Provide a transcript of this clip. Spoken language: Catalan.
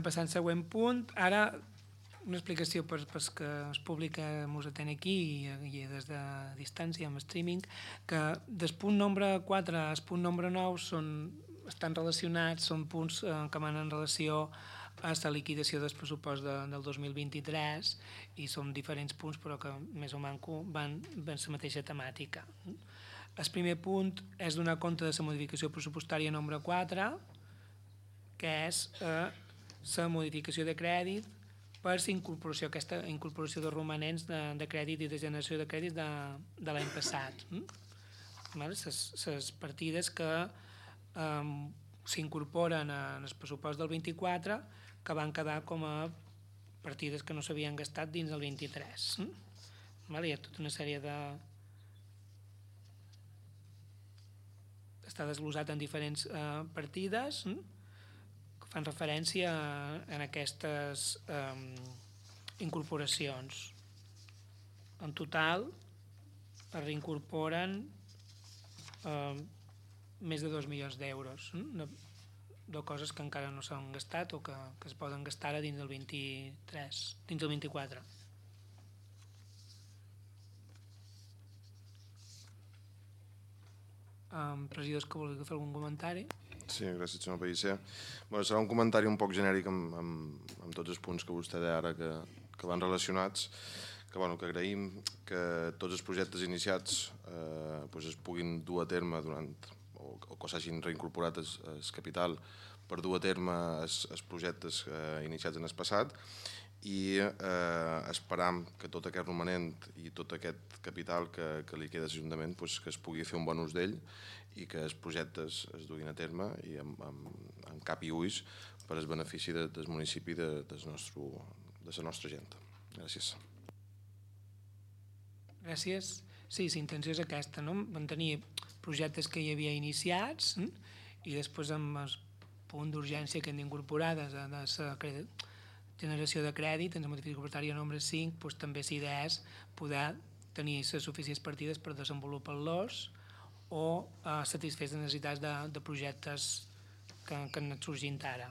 Passant al següent punt, ara una explicació per que el públic ens atén aquí i des de distància amb streaming, que del punt nombre 4 al punt nombre 9 estan relacionats, són punts que van en relació a la liquidació del pressupost del 2023 i són diferents punts però que més o manco van la mateixa temàtica. El primer punt és donar compte de la modificació pressupostària nombre 4, que és la modificació de crèdit per aquesta incorporació de romanents de crèdit i de generació de crèdit de l'any passat. Les partides que s'incorporen en el pressupost del 24 que van quedar com a partides que no s'havien gastat dins del 23. Hi ha tota una sèrie de... està desglosat en diferents partides que fan referència a aquestes incorporacions. En total es reincorporen més de 2 milions d'euros de coses que encara no s'han gastat o que es poden gastar ara dins del 23, dins del 24. Regidors que vulgui fer algun comentari? Sí, gràcies, senyor Pellicer. Serà un comentari un poc genèric amb tots els punts que vostè deia ara que van relacionats, que agraïm que tots els projectes iniciats es puguin dur a terme o que s'hagin reincorporat el capital per dur a terme els projectes iniciats en el passat i esperam que tot aquest romanent i tot aquest capital que li queda a l'Ajuntament que es pugui fer un bon ús d'ell i que els projectes es duguin a terme i amb cap i ulls per al benefici del municipi de la nostra gent. Gràcies. Gràcies. Sí, la intenció és aquesta, no? Mantenir projectes que hi havia iniciats i després amb el punt d'urgència que hem d'incorporar de la generació de crèdit en la modificació pressupostària nombre 5 també la idea és poder tenir les suficients partides per desenvolupar-los o satisfer les necessitats de projectes que han anat sorgint ara.